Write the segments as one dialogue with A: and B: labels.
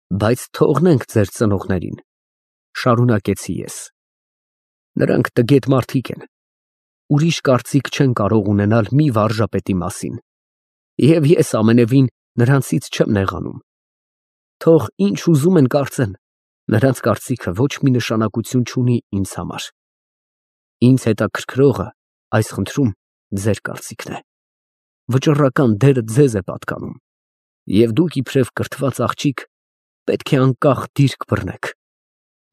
A: Բայց թողնենք ձեր ծնողներին, շարունակեցի ես։ Նրանք տգետ մարդիկ են, ուրիշ կարծիք չեն կարող ունենալ մի վարժապետի մասին, և ես ամենևին նրանցից չեմ նեղանում։ Թող ինչ ուզում են կարծեն, նրանց կարծիքը ոչ մի նշանակություն չունի ինձ համար։ Ինձ հետաքրքրողը այս խնդրում ձեր կարծիքն է։ Վճռական դերը ձեզ է պատկանում, և դուք իբրև կրթված աղջիկ պետք է անկախ դիրք բռնեք,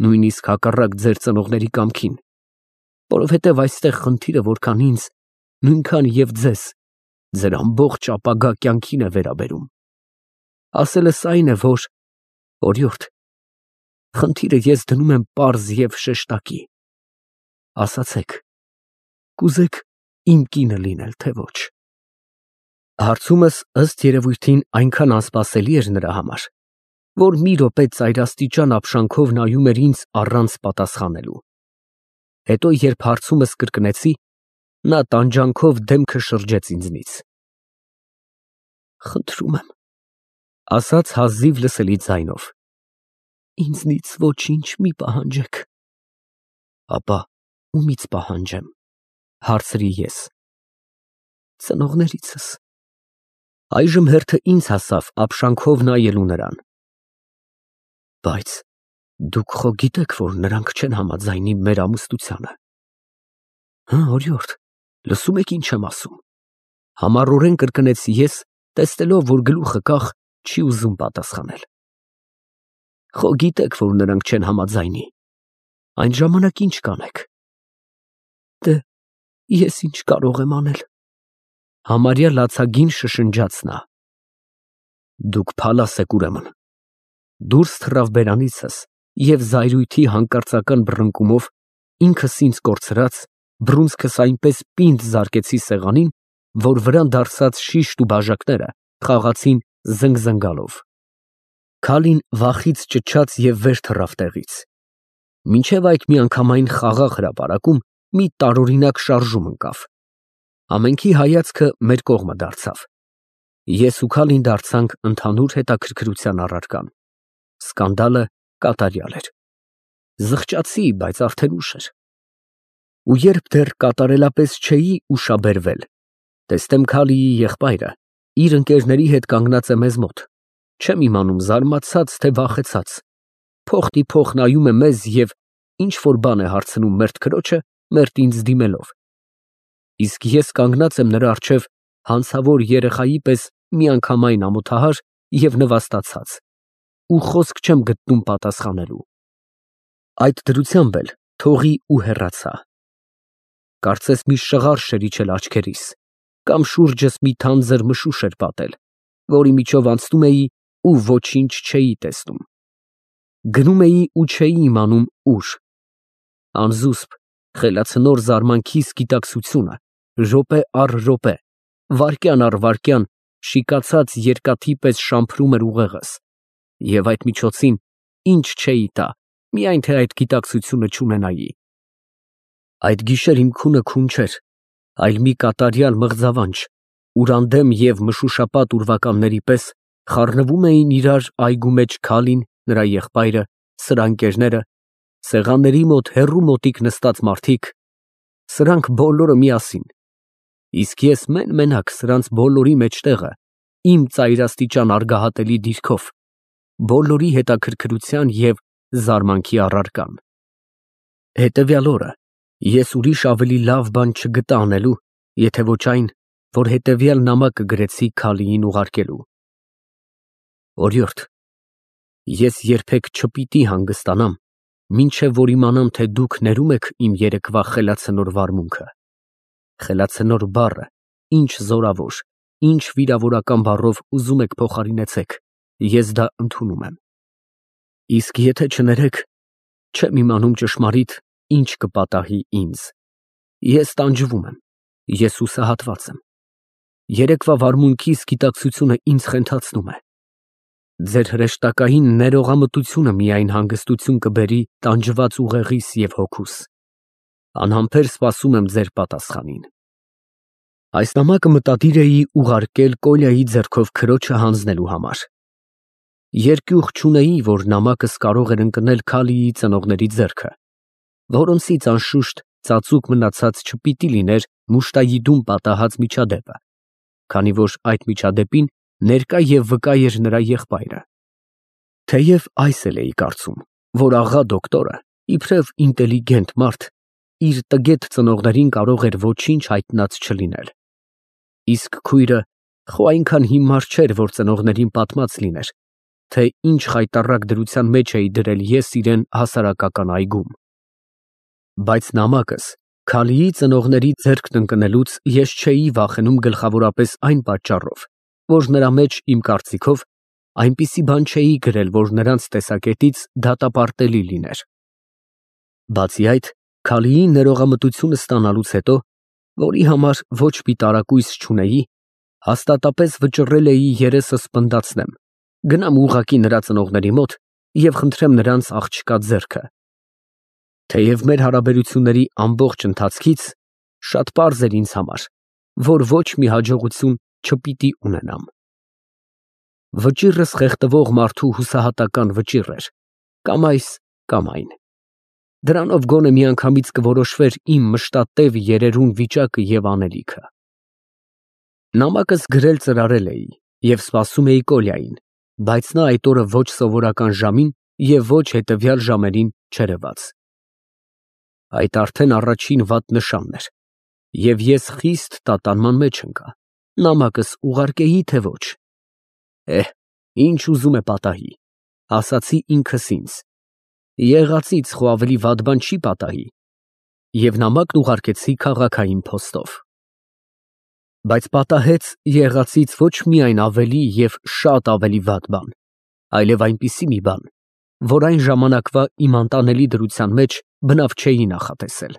A: նույնիսկ հակառակ ձեր ծնողների կամքին, որովհետև այստեղ խնդիրը որքան ինձ, նույնքան և ձեզ, ձեր ամբողջ ապագա կյանքին է վերաբերում։ Ասելս այն է, որ, օրիորդ, խնդիրը ես դնում եմ պարզ և շեշտակի։ Ասացեք, կուզեք իմ կինը լինել, թե ոչ։ Հարցումս ըստ երևույթին այնքան անսպասելի էր նրա համար, որ մի րոպե ծայրաստիճան ապշանքով նայում էր ինձ առանց պատասխանելու։ Հետո, երբ հարցումս կրկնեցի, նա տանջանքով դեմքը շրջեց ինձնից։ Խնդրում եմ, ասաց հազիվ լսելի ձայնով, ինձնից ոչինչ մի պահանջեք։ Ապա ումից պահանջեմ, հարցրի ես։ Ծնողներիցս։ Այժմ հերթը ինձ հասավ ապշանքով նայելու նրան։ Բայց դուք խո գիտեք, որ նրանք չեն համաձայնի մեր ամուսնությանը։ Հա, օրիորդ, լսում եք ինչ եմ ասում։ Համառորեն կրկնեցի ես, տեսնելով, որ գլուխը կախ, չի ուզում պատասխանել։ Խո գիտեք, որ նրանք չեն համաձայնի։ Այն ժամանակ ինչ կանեք։ Դե, ես ինչ կարող եմ անել։ Համարյա լացագին շշնջաց նա։ Դուք փալաս եք ուրեմն։ Դուրս թռավ բերանիցս և զայրույթի հանկարծական բռնկումով ինքս ինձ կորցրած, բռունցքս այնպես պինդ զարկեցի սեղանին, որ վրան դարսած շիշտ ու բաժակները խաղացին զնգզնգալով։ Քալին վախից ճչաց և վեր թռավ տեղից։ Մինչև այդ միանգամայն խաղաղ հրապարակում մի տարօրինակ շարժում ընկավ։ Ամենքի հայացքը մեր կողմը դարձավ։ Ես ու Քալին դարձանք ընդհանուր հետաքրքրության առարկան։ Սկանդալը կատարյալ էր։ Զղջացի, բայց արդեն ուշ էր։ Ու երբ դեռ կատարելապես չէի ուշաբերվել, տեսնեմ Քալիի եղբայրը իր ընկերների հետ կանգնած է մեզ մոտ, չեմ իմանում զարմացած, թե վախեցած, փոխ նայում է մեզ և ինչ-որ բան է հարցնում մերթ քրոջը, մերթ ինձ դիմելով։ Իսկ ես կանգնած եմ նրա առջև հանցավոր երեխայի պես միանգամայն ամոթահար և նվաստացած, ու խոսք չեմ գտնում պատասխանելու։ Այդ դրությամբ էլ թողի ու հեռացա։ Կարծես մի շղարշ էր իջել աչքերիս, կամ շուրջս մի թանձր մշուշ էր պատել, որի միջով անցնում էի ու ոչինչ չէի տեսնում։ Գնում էի ու չէի իմանում ուր։ Անզուսպ, խելացնոր զարմանքիս գիտակցությունը րոպե առ րոպե, վայրկյան առ վայրկյան շիկացած երկաթի պես շամփրում էր ուղեղս, և այդ միջոցին ինչ չէի տա, միայն թե այդ գիտակցությունը չունենայի։ Այդ գիշեր իմ քունը քուն չէր, այլ մի կատարյալ մղձավանջ, ուր անդեմ և մշուշապատ ուրվականների պես խառնվում էին իրար այգու մեջ Քալին, նրա եղբայրը, սրա ընկերները, սեղանների մոտ հեռու մոտիկ նստած մարդիկ, սրանք բոլորը միասին, իսկ ես մեն֊մենակ սրանց բոլորի մեջտեղը, իմ ծայրաստիճան արգահատելի դիրքով, բոլորի հետաքրքրության և զարմանքի առարկան։ Հետևյալ օրը ես ուրիշ ավելի լավ բան չգտա անելու, եթե ոչ այն, որ հետևյալ նամակը գրեցի Քալիին ուղարկելու. Օրիորդ, ես երբեք չպիտի հանգստանամ, մինչև որ իմանամ, թե դուք ներում եք իմ երեկվա խելացնոր վարմունքը։ Խելացնոր բառը, ինչ զորավոր, ինչ վիրավորական բառով ուզում եք փոխարինեցեք, ես դա ընդունում եմ։ Իսկ եթե չներեք, չեմ իմանում ճշմարիտ ինչ կպատահի ինձ։ Ես տանջվում եմ, ես հուսահատված եմ։ Երեկվա վարմունքիս գիտակցությունը ինձ խենթացնում է։ Ձեր հրեշտակային ներողամտությունը միայն հանգստություն կբերի տանջված ուղեղիս և հոգուս։ Անհամբեր սպասում եմ ձեր պատասխանին։ Այս նամակը մտադիր էի ուղարկել Կոլյայի ձեռքով քրոջը հանձնելու համար։ Երկյուղ չունեի, որ նամակս կարող էր ընկնել Քալիի ծնողների ձեռքը, որոնցից անշուշտ ծածուկ մնացած չպիտի լիներ Մուշտայիդուն պատահած միջադեպը, քանի որ այդ միջադեպին ներկա և վկա էր նրա եղբայրը։ Թեև այս էլ էի կարծում, որ աղա դոկտորը, իբրև ինտելիգենտ մարդ, իր տգետ ծնողներին կարող էր ոչինչ հայտնած չլինել։ Իսկ քույրը խո այնքան հիմար չէր, որ ծնողներին պատմած լիներ, թե ինչ խայտառակ դրության մեջ էի դրել ես իրեն հասարակական այգում։ Բայց նամակս Քալիի ծնողների ձեռքն ընկնելուց ես չէի վախենում գլխավորապես այն պատճառով, որ նրա մեջ, իմ կարծիքով, այնպիսի բան չէի գրել, որ նրանց տեսակետից դատապարտելի լիներ։ Բացի այդ, Քալիի ներողամտությունը ստանալուց հետո, որի համար ոչ մի տարակույս չունեի, հաստատապես վճռել էի երեսս պնդացնեմ, գնամ ուղղակի նրա ծնողների մոտ և խնդրեմ նրանց աղջկա ձեռքը։ Թեև մեր հարաբերությունների ամբողջ ընթացքից շատ պարզ էր ինձ համար, որ ոչ մի հաջողություն չպիտի ունենամ։ Վճիռս խեղդվող մարդու հուսահատական վճիռ էր, կամ այս, կամ այն։ Դրանով գոնե միանգամից կորոշվեր իմ մշտատև երերուն վիճակը և անելիքը։ Նամակս գրել ծրարել էի և սպասում էի Կոլյային, բայց նա այդ օրը ոչ սովորական ժամին և ոչ հետևյալ ժամերին չերևաց։ Այդ արդեն առաջին վատ նշանն էր, և ես խիստ տատանման մեջ ընկա, նամակս ուղարկեի, թե ոչ։ Ինչ ուզում է պատահի, ասացի ինքս ինձ, եղածից խո ավելի վատ բան չի պատահի, և նամակն ուղարկեցի քաղաքային փոստով։ Բայց պատահեց եղածից ոչ միայն ավելի և շատ ավելի վատ բան, այլև այնպիսի մի բան, որ այն ժամանակվա իմ անտանելի դրության մեջ բնավ չէի նախատեսել։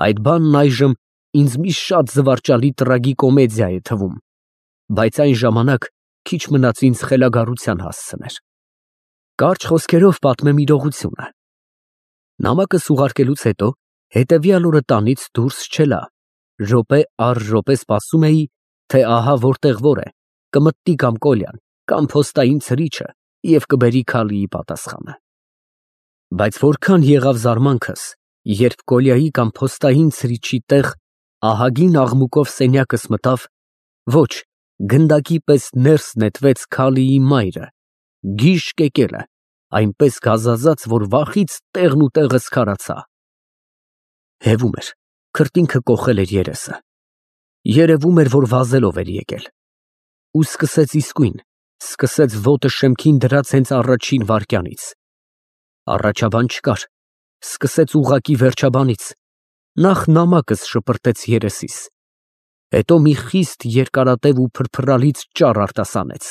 A: Այդ բանն այժմ ինձ մի շատ զվարճալի տրագիկոմեդիա է թվում, բայց այն ժամանակ քիչ մնաց ինձ խելագարության հասցներ։ Կարճ խոսքերով պատմեմ իրողությունը։ Նամակս ուղարկելուց հետո հետևյալ օրը տանից դուրս չելա, րոպե առ րոպե սպասում էի, թե ահա որտեղ որ է, կմտնի կամ Կոլյան, կամ փոստային ցրիչը և կբերի Քալիի պատասխանը։ Բայց որքան եղավ զարմանքս, երբ Կոլյայի կամ փոստային ցրիչի տեղ ահագին աղմուկով սենյակս մտավ, ոչ, գնդակի պես ներս նետվեց Քալիի մայրը, գիժ կեկելը, այնպես գազազած, որ վախից տեղն ու տեղը սքարացա։ Հևում էր, քրտինքը կոխել էր երեսը։ Երևում էր, որ վազելով էր եկել։ Ու սկսեց իսկույն, սկսեց ոտը շեմքին դրած հենց առաջին վայրկյանից։ Առաջաբան չկար, սկսեց ուղղակի վերջաբանից, նախ նամակս շպրտեց երեսիս, հետո մի խիստ երկարատև ու փրփրալից ճառ արտասանեց,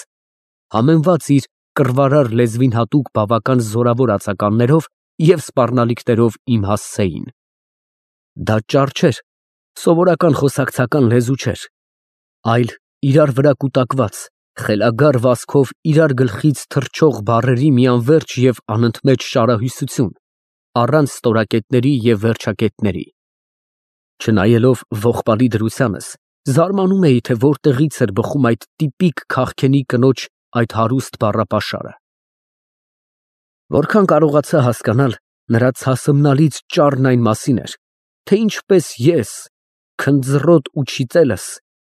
A: համեմված իր կռվարար լեզվին հատուկ բավական զորավոր ածականներով և սպառնալիքներով իմ հասցեին։ Դա ճառ չէր, սովորական խոսակցական լեզու չէր, այլ իրար վրա կուտակված, խելագար վազքով իրար գլխից թռչող բառերի մի անվերջ և անընդմեջ շարահյուսություն, առանց ստորակետների և վերջակետների։ Չնայելով ողբալի դրությանս, զարմանում էի, թե որտեղից էր բխում այդ տիպիկ քաղքենի կնոջ այդ հարուստ բառապաշարը։ Որքան կարողացա հասկանալ, նրա ցասմնալից ճառն այն մասին էր, թե ինչպես ես, քնձռոտ ու չիծելս,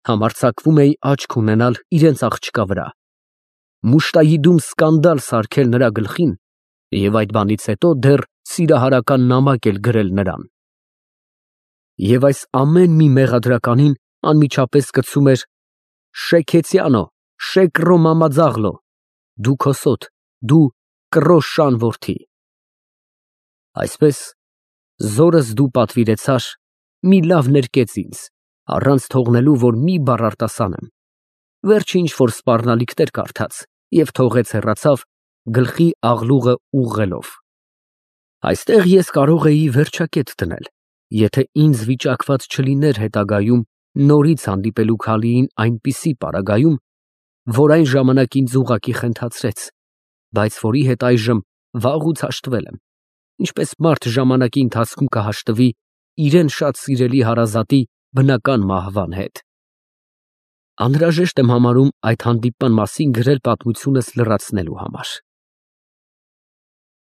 A: համարձակվում էի աչք ունենալ իրենց աղջկա վրա, Մուշտայիդում սկանդալ սարքել նրա գլխին և այդ բանից հետո դեռ սիրահարական նամակ էլ գրել նրան։ Եվ այս ամեն մի մեղադրականին անմիջապես կցում էր. «Շեքեցյանո, շեկռո մամաձաղլո, դու քոսոտ, դու կռոշան որդի»։ Այսպես, զորս դու պատվիրեցար, մի լավ ներկեց ինձ, առանց թողնելու, որ մի բառ արտասանեմ, վերջ ինչ֊որ սպառնալիքներ կարդաց և թողեց հեռացավ, գլխի աղլուղը ուղղելով։ Այստեղ ես կարող էի վերջակետ դնել, եթե ինձ վիճակված չլիներ հետագայում նորից հանդիպելու Քալիին այնպիսի պարագայում, որ այն ժամանակ ինձ ուղղակի խենթացրեց, բայց որի հետ այժմ վաղուց հաշտվել եմ, ինչպես մարդ ժամանակի ընթացքում կհաշտվի իրեն շատ սիրելի հարազատի բնական մահվան հետ։ Անհրաժեշտ եմ համարում այդ հանդիպման մասին գրել պատմությունս լրացնելու համար։